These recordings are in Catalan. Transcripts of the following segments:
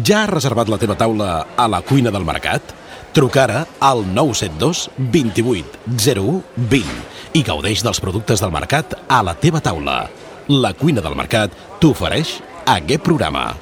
Ja has reservat la teva taula a la cuina del mercat? Truca ara al 972 28 01 20 i gaudeix dels productes del mercat a la teva taula. La cuina del mercat t'ofereix aquest programa.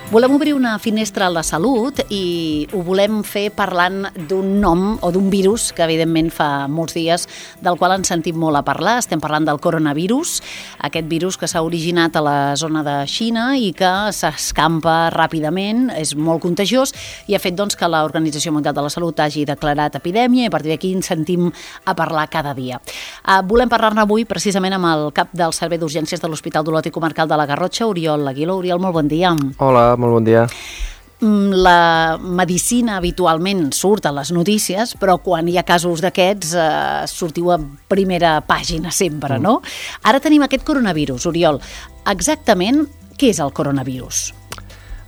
Volem obrir una finestra a la salut i ho volem fer parlant d'un nom o d'un virus que evidentment fa molts dies del qual ens sentim molt a parlar. Estem parlant del coronavirus, aquest virus que s'ha originat a la zona de Xina i que s'escampa ràpidament, és molt contagiós i ha fet que l'Organització Mundial de la Salut hagi declarat epidèmia i a partir d'aquí ens sentim a parlar cada dia. Volem parlar-ne avui precisament amb el cap del Servei d'Urgències de l'Hospital d'Olot i Comarcal de la Garrotxa, Oriol Aguiló. Oriol, molt bon dia. Hola, molt bon dia. La medicina habitualment surt a les notícies, però quan hi ha casos d'aquests sortiu a primera pàgina sempre, no? Ara tenim aquest coronavirus, Oriol. Exactament què és el coronavirus?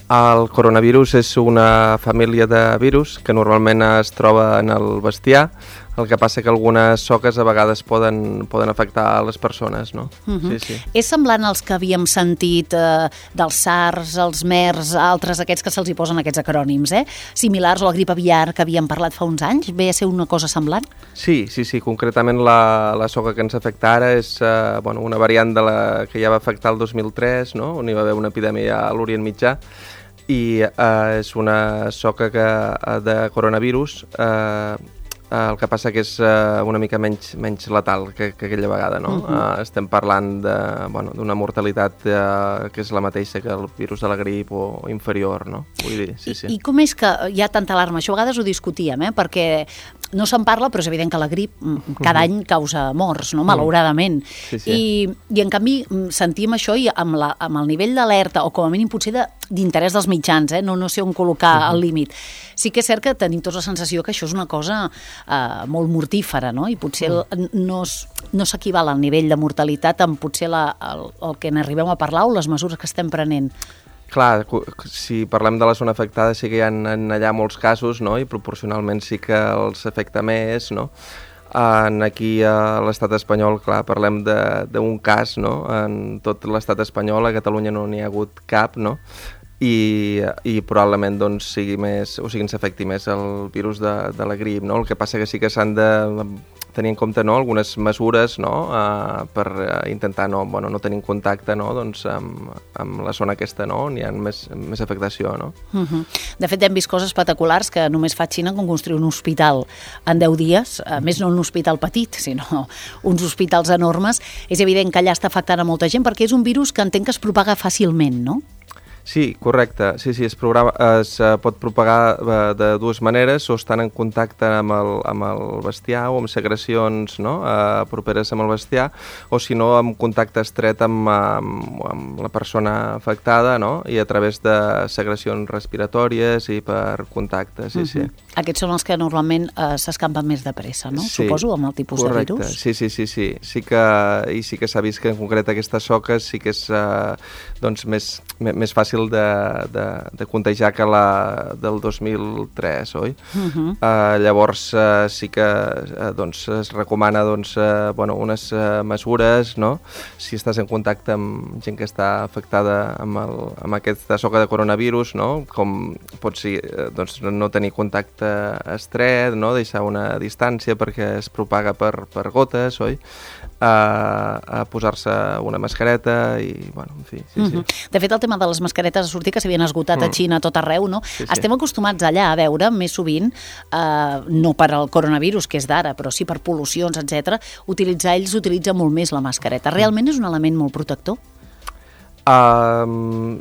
El coronavirus és una família de virus que normalment es troba en el bestiar. El que passa que algunes soques a vegades poden afectar a les persones, no? Sí. És semblant als que havíem sentit dels SARS, els MERS, altres aquests que se'ls hi posen aquests acrònims, similars a la grip aviar que havíem parlat fa uns anys? Ve a ser una cosa semblant? Sí. Concretament la soca que ens afecta ara és una variant de la que ja va afectar el 2003, no? On hi va haver una epidèmia a l'Orient Mitjà, i és una soca de coronavirus. El que passa que és una mica menys letal que aquella vegada, no? Estem parlant d'una mortalitat que és la mateixa que el virus de la grip o inferior, no? Vull dir, sí. I com és que hi ha tanta alarma? Això a vegades ho discutíem, perquè no se'n parla, però és evident que la grip cada any causa morts, no? Malauradament. Sí. I en canvi sentim això i amb el nivell d'alerta, o com a mínim potser d'interès dels mitjans, no sé on col·locar el límit. Sí que és cert que tenim tots la sensació que això és una cosa molt mortífera, no? I potser no s'equival al nivell de mortalitat amb potser el que n'arribem a parlar o les mesures que estem prenent. Clar, si parlem de la zona afectada sí que hi ha allà molts casos, no? I proporcionalment sí que els afecta més, no? Aquí a l'estat espanyol, clar, parlem d'un cas, no? En tot l'estat espanyol, a Catalunya no n'hi ha hagut cap, no? I probablement ens afecti més el virus de la grip, no? El que passa que sí que s'han de tenir en compte, no, algunes mesures, no, per intentar no tenir contacte, no, amb la zona aquesta, no, on hi ha més afectació, no? De fet, hem vist coses espectaculars que només fa Xina com construir un hospital en 10 dies, a més no un hospital petit, sinó uns hospitals enormes. És evident que allà està afectant a molta gent perquè és un virus que entenc que es propaga fàcilment, no? Sí, correcte. Sí, es pot propagar de dues maneres, o estan en contacte amb el bestiar o amb secrecions, no, properes amb el bestiar, o si no amb contacte estret amb la persona afectada, no, i a través de secrecions respiratòries i per contacte, sí. Aquests són els que normalment s'escampen més de pressa, no? Sí, suposo, amb el tipus correcte. De virus. Sí. Sí que s'ha vist que en concret aquestes soques sí que és més fàcil de contagiar que la del 2003, oi? Llavors sí que es recomana unes mesures, no? Si estàs en contacte amb gent que està afectada amb aquesta soca de coronavirus, no? Com pot ser no tenir contacte estret, no? Deixar una distància perquè es propaga per gotes, oi? A posar-se una mascareta i, en fi, sí. De fet, el tema de les mascaretes ha sortit que s'havien esgotat a Xina a tot arreu, no? Sí. Estem acostumats allà a veure més sovint, no per al coronavirus, que és d'ara, però sí per pol·lucions, etc. Ells utilitzen molt més la mascareta. Realment és un element molt protector?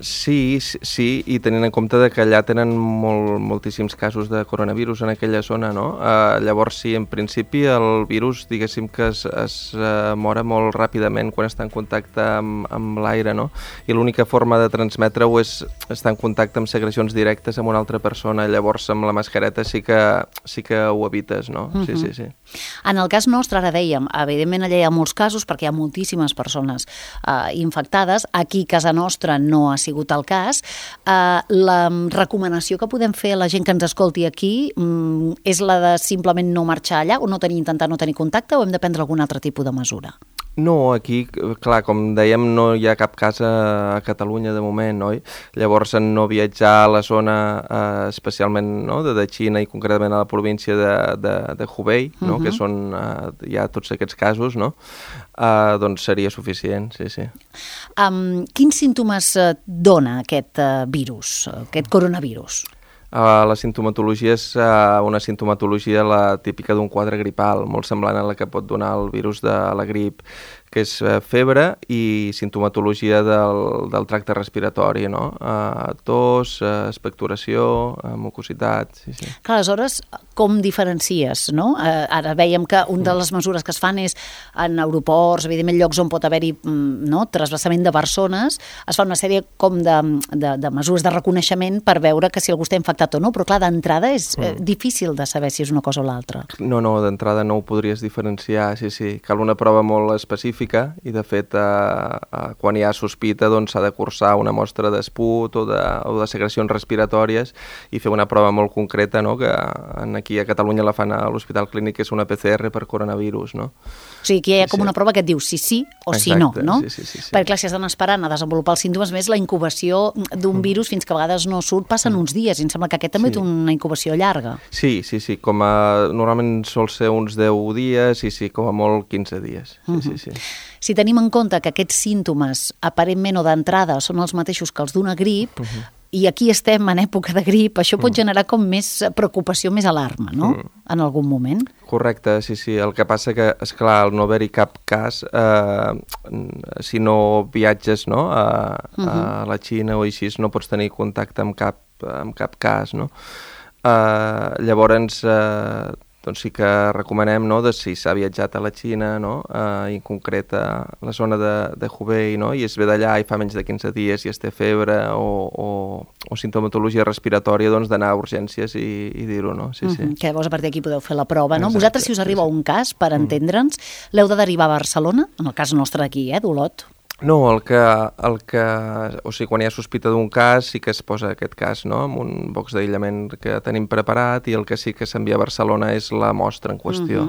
Sí, i tenint en compte que allà tenen moltíssims casos de coronavirus en aquella zona, no? Llavors, sí, en principi el virus, diguéssim que es mora molt ràpidament quan està en contacte amb l'aire, no? I l'única forma de transmetre-ho és estar en contacte amb secrecions directes amb una altra persona. Llavors, amb la mascareta sí que ho evites, no? Sí. En el cas nostre, ara dèiem, evidentment allà hi ha molts casos perquè hi ha moltíssimes persones infectades. Aquí, casa nostra no ha sigut el cas. La recomanació que podem fer a la gent que ens escolti aquí és la de simplement no marxar allà o intentar no tenir contacte, o hem de prendre algun altre tipus de mesura? No, aquí, clar, com dèiem, no hi ha cap cas a Catalunya de moment, oi? Llavors, en no viatjar a la zona, especialment de Xina i concretament a la província de Hubei, que són hi ha tots aquests casos, doncs seria suficient, sí, sí. Quins símptomes dona aquest virus, aquest coronavirus? La sintomatologia és una sintomatologia la típica d'un quadre gripal, molt semblant a la que pot donar el virus de la grip, que és febre i sintomatologia del tracte respiratori, no? Tos, expectoració, mucositat... Sí, sí. Clar, aleshores, com diferencies, no? Ara veiem que una de les mesures que es fan és en aeroports, evidentment llocs on pot haver-hi trasbassament de persones, es fa una sèrie com de mesures de reconeixement per veure que si algú està infectat o no, però clar, d'entrada és difícil de saber si és una cosa o l'altra. No, d'entrada no ho podries diferenciar, sí. Cal una prova molt específica i de fet quan hi ha sospita doncs s'ha de cursar una mostra d'esput o de secrecions respiratòries i fer una prova molt concreta, no? Que aquí a Catalunya la fan a l'Hospital Clínic, que és una PCR per coronavirus, no? O sigui, que hi ha com una prova que et diu si sí o si no, no? Sí. Perquè clar, si estan esperant a desenvolupar els símptomes, més la incubació d'un virus fins que a vegades no surt, passen uns dies, i em sembla que aquest també té una incubació llarga. Sí, normalment sol ser uns 10 dies i com a molt 15 dies, sí. Si tenim en compte que aquests símptomes aparentment o d'entrada són els mateixos que els d'una grip, i aquí estem en època de grip, això pot generar com més preocupació, més alarma, no? En algun moment. Correcte, sí. El que passa que, esclar, al no haver-hi cap cas, si no viatges a la Xina o així, no pots tenir contacte amb cap cas, no? Llavors, doncs sí que recomanem, si s'ha viatjat a la Xina, i en concret a la zona de Hubei, i es ve d'allà i fa menys de 15 dies i es té febre o sintomatologia respiratòria, doncs d'anar a urgències i dir-ho, no? Sí. Que llavors a partir d'aquí podeu fer la prova, no? Exacte, vosaltres, si us arriba un cas, per entendre'ns, l'heu de derivar a Barcelona, en el cas nostre d'aquí, d'Olot? No, o sigui, quan hi ha sospita d'un cas sí que es posa aquest cas, amb un box d'aïllament que tenim preparat, i el que sí que s'envia a Barcelona és la mostra en qüestió.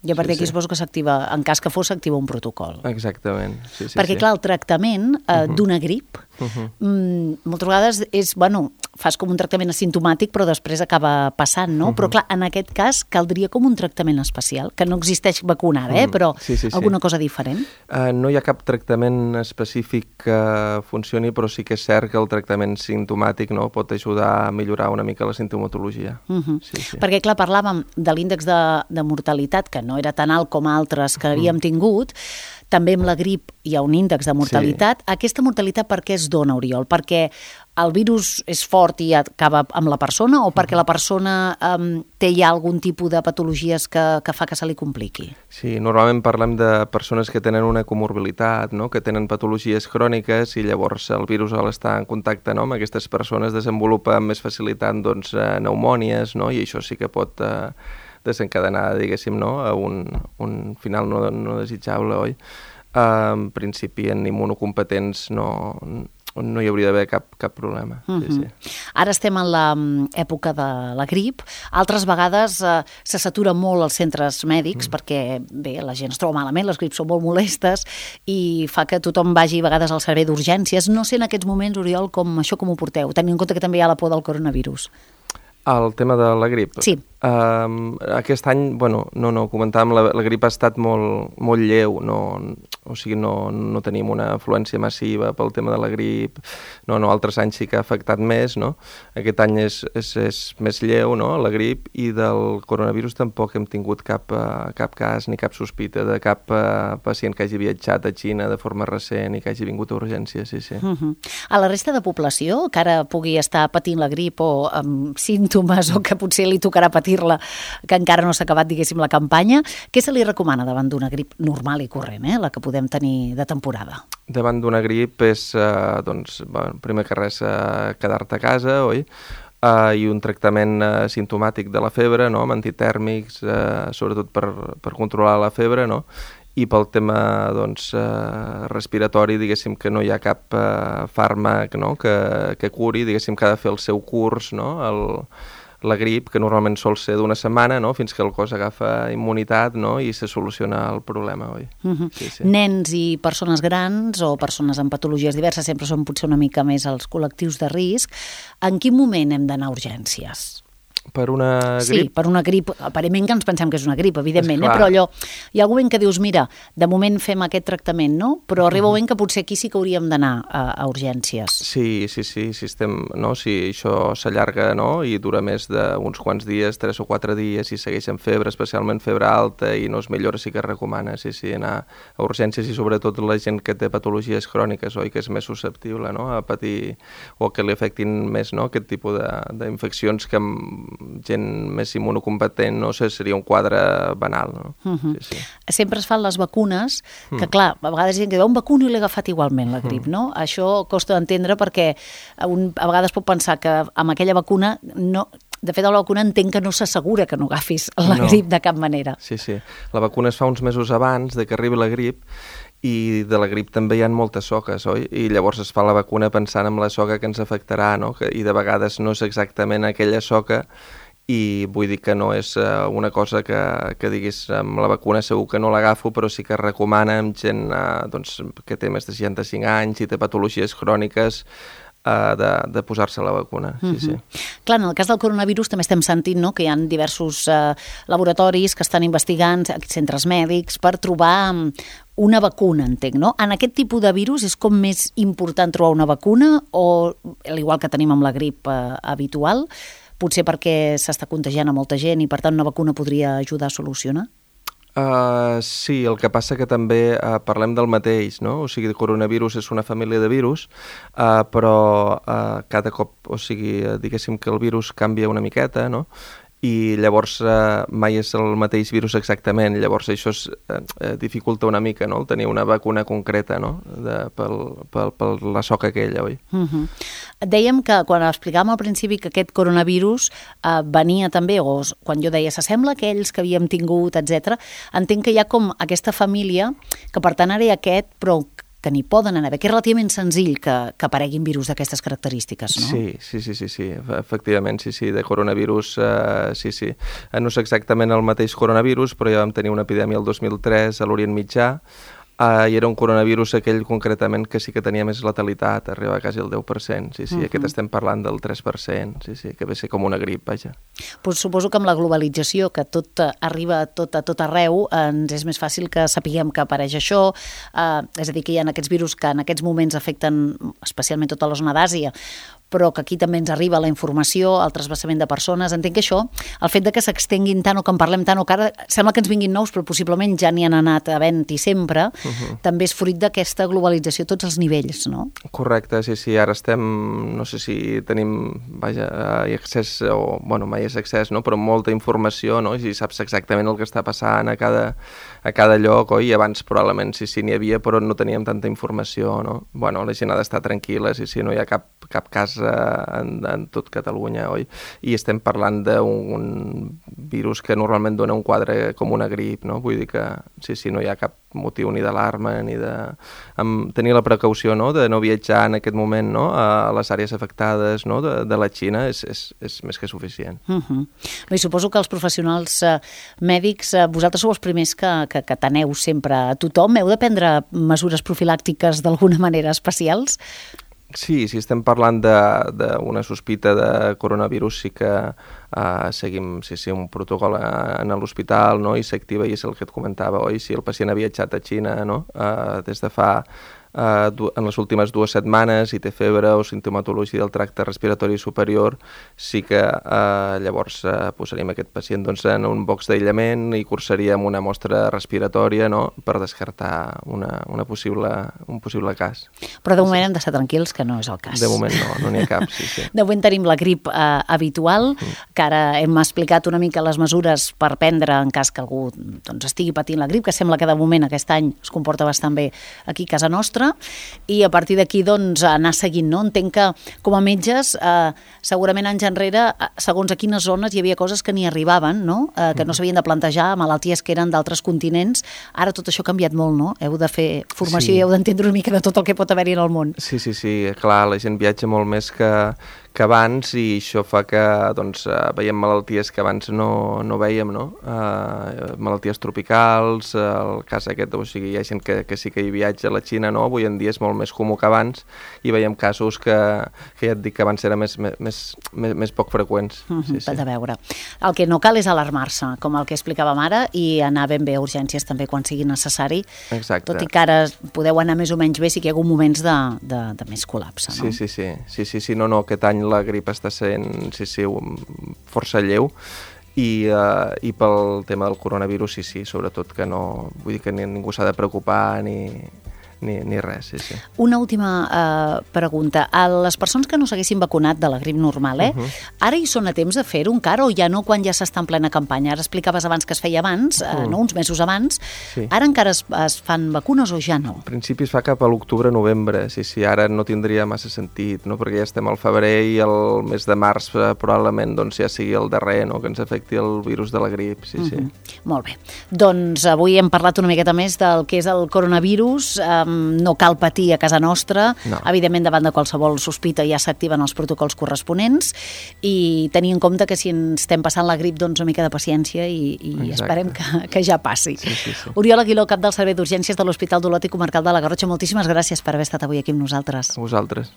I a partir d'aquí suposo que s'activa, en cas que fos, s'activa un protocol. Exactament, sí. Perquè clar, el tractament d'una grip moltes vegades és, fas com un tractament asimptomàtic però després acaba passant, no? Però clar, en aquest cas caldria com un tractament especial, que no existeix vacuna ara, però alguna cosa diferent? No hi ha cap tractament específic que funcioni, però sí que és cert que el tractament simptomàtic pot ajudar a millorar una mica la sintomatologia. Perquè clar, parlàvem de l'índex de mortalitat, que no era tan alt com altres que havíem tingut. També amb la grip hi ha un índex de mortalitat. Aquesta mortalitat per què es dona, Oriol? Perquè el virus és fort i acaba amb la persona, o perquè la persona té ja algun tipus de patologies que fa que se li compliqui? Sí, normalment parlem de persones que tenen una comorbilitat, que tenen patologies cròniques, i llavors el virus, al estar en contacte amb aquestes persones, desenvolupa amb més facilitat pneumònies, i això sí que pot desencadenar, diguéssim, a un final no desitjable, oi? En principi, en immunocompetents no hi hauria d'haver cap problema. Ara estem en l'època de la grip. Altres vegades se satura molt els centres mèdics perquè, bé, la gent es troba malament, les grips són molt molestes i fa que tothom vagi a vegades al servei d'urgències. No sé en aquests moments, Oriol, com ho porteu, tenint en compte que també hi ha la por del coronavirus. El tema de la grip? Sí. Aquest any, no, comentàvem, la grip ha estat molt lleu, o sigui, no tenim una afluència massiva pel tema de la grip, altres anys sí que ha afectat més, Aquest any és més lleu, la grip, i del coronavirus tampoc hem tingut cap cas ni cap sospita de cap pacient que hagi viatjat a Xina de forma recent i que hagi vingut a urgències, sí. A la resta de població, que ara pugui estar patint la grip o amb símptomes o que potser li tocarà patir-la, que encara no s'ha acabat, diguéssim, la campanya, què se li recomana davant d'una grip normal i corrent, la que podem tenir de temporada? Davant d'una grip és, primer que res, quedar-te a casa, oi? I un tractament simptomàtic de la febre, amb antitèrmics, sobretot per controlar la febre, i pel tema respiratori, diguéssim que no hi ha cap fàrmac, no? que curi, diguéssim que ha de fer el seu curs, no? La grip, que normalment sol ser d'una setmana, no? Fins que el cos agafa immunitat, no? I se soluciona el problema, oi? Nens i persones grans o persones amb patologies diverses sempre són potser una mica més els col·lectius de risc. En quin moment hem d'anar a urgències? Per una grip? Sí, per una grip. Aparentment que ens pensem que és una grip, evidentment, però allò, hi ha algun moment que dius, mira, de moment fem aquest tractament, no? Però arriba un moment que potser aquí sí que hauríem d'anar a urgències. Sí, si això s'allarga, no? I dura més d'uns quants dies, 3 o 4 dies, i segueix amb febre, especialment febre alta, i no es millora, sí que es recomana, anar a urgències, i sobretot la gent que té patologies cròniques, oi? Que és més susceptible, no? A patir, o que li afectin més, no? Aquest tipus d'infeccions que gent més immunocompetent, no sé, seria un quadre banal, no? Sempre es fan les vacunes, que clar, a vegades hi ha gent que diu, un vacuno i l'he agafat igualment, la grip, no? Això costa d'entendre perquè a vegades pot pensar que amb aquella vacuna no... De fet, a la vacuna entenc que no s'assegura que no agafis la grip de cap manera. Sí. La vacuna es fa uns mesos abans de que arribi la grip, i de la grip també hi ha moltes soques, oi? I llavors es fa la vacuna pensant en la soca que ens afectarà, no? I de vegades no és exactament aquella soca, i vull dir que no és una cosa que diguis amb la vacuna segur que no l'agafo, però sí que es recomana amb gent que té més de 65 anys i té patologies cròniques de posar-se la vacuna. Sí. Clar, en el cas del coronavirus també estem sentint, no?, que hi ha diversos laboratoris que estan investigant, centres mèdics, per trobar una vacuna, entenc, no? En aquest tipus de virus és com més important trobar una vacuna o, al igual que tenim amb la grip habitual, potser perquè s'està contagiant a molta gent i per tant una vacuna podria ajudar a solucionar? Sí, el que passa que també parlem del mateix, no? O sigui, el coronavirus és una família de virus, però cada cop, o sigui, diguéssim que el virus canvia una miqueta, no? I llavors mai és el mateix virus exactament, llavors això dificulta una mica, no?, el tenir una vacuna concreta, no?, per la soca aquella, oi? Dèiem que quan explicàvem al principi que aquest coronavirus venia també, o quan jo deia s'assembla a aquells que havíem tingut, etc., entenc que hi ha com aquesta família, que per tant ara hi ha aquest, però que n'hi poden anar bé, que és relativament senzill que apareguin virus d'aquestes característiques, no? Sí, efectivament, sí, de coronavirus, sí. No és exactament el mateix coronavirus, però ja vam tenir una epidèmia el 2003 a l'Orient Mitjà, i era un coronavirus aquell concretament que sí que tenia més letalitat, arribava quasi al 10%, sí, aquest estem parlant del 3%, sí, que ve ser com una grip, vaja. Pues suposo que amb la globalització, que tot arriba a tot arreu, ens és més fàcil que sapiguem que apareix això, és a dir, que hi ha aquests virus que en aquests moments afecten especialment tota la zona d'Àsia, però que aquí també ens arriba la informació, el trasbassament de persones. Entenc que això, el fet de que s'extenguin tant o que en parlem tant o que ara sembla que ens vinguin nous, però possiblement ja n'hi han anat havent-hi sempre, també és fruit d'aquesta globalització a tots els nivells, no? Correcte, sí, ara estem, no sé si tenim, vaja, accés, o, bueno, mai és accés, no?, però molta informació, no?, i saps exactament el que està passant a cada lloc, oi? I abans probablement sí, n'hi havia, però no teníem tanta informació, no? Bueno, la gent ha d'estar tranquil·la, sí, no hi ha cap cas en tot Catalunya, oi? I estem parlant d'un virus que normalment dona un quadre com una grip, no? Vull dir que sí, no hi ha cap motiu ni d'alarma ni de... tenir la precaució, no?, de no viatjar en aquest moment, no?, a les àrees afectades, no?, de la Xina és més que suficient. I suposo que els professionals mèdics, vosaltres sou els primers que teneu sempre a tothom. Heu de prendre mesures profilàctiques d'alguna manera especials? Sí, si estem parlant d'una sospita de coronavirus, sí que seguim un protocol en l'hospital, no?, i s'activa, i és el que et comentava, oi? Si el pacient ha viatjat a Xina, no?, des de fa en les últimes 2 setmanes i té febre o sintomatologia del tracte respiratori superior, sí que llavors posaríem aquest pacient en un box d'aïllament i cursaríem una mostra respiratòria, no?, per descartar un possible cas. Però de moment hem d'estar tranquils que no és el cas. De moment no n'hi ha cap, sí. De moment tenim la grip habitual, que ara hem explicat una mica les mesures per prendre en cas que algú estigui patint la grip, que sembla que de moment aquest any es comporta bastant bé aquí a casa nostra, nostre, i a partir d'aquí doncs, anar seguint. No? Entenc que com a metges segurament anys enrere, segons a quines zones hi havia coses que ni arribaven, no? Que no s'havien de plantejar, malalties que eren d'altres continents. Ara tot això ha canviat molt, no? Heu de fer formació i heu d'entendre una mica de tot el que pot haver-hi en el món. Sí, clar, la gent viatja molt més que abans, i això fa que doncs, veiem malalties que abans no veiem, no? Malalties tropicals, el cas aquest, o sigui, hi ha gent que sí que hi viatja a la Xina, no? Avui en dia és molt més comú que abans, i veiem casos que ja et dic que abans eren més poc freqüents. De veure. El que no cal és alarmar-se, com el que explicàvem ara, i anar ben bé a urgències també quan sigui necessari. Exacte. Tot i que ara podeu anar més o menys bé, sí que hi ha hagut moments de més col·lapse, no? Sí, no, aquest any la grip està sent força lleu, i pel tema del coronavirus sobretot que no, vull dir que ningú s'ha de preocupar ni res, sí. Una última pregunta. A les persones que no s'haguessin vacunat de la grip normal, ara hi són a temps de fer-ho encara o ja no quan ja s'està en plena campanya? Ara explicaves abans que es feia abans, no? Uns mesos abans. Sí. Ara encara es fan vacunes o ja no? En principi es fa cap a l'octubre-novembre, sí, ara no tindria massa sentit, no? Perquè ja estem al febrer i el mes de març probablement doncs, ja sigui el darrer, no? Que ens afecti el virus de la grip, sí. Molt bé. Doncs avui hem parlat una miqueta més del que és el coronavirus. No cal patir a casa nostra, no. Evidentment davant de qualsevol sospita ja s'activen els protocols corresponents, i tenir en compte que si ens estem passant la grip, doncs una mica de paciència i esperem que ja passi. Sí. Oriol Aguiló, cap del Servei d'Urgències de l'Hospital d'Olot i Comarcal de la Garrotxa, moltíssimes gràcies per haver estat avui aquí amb nosaltres. A vosaltres.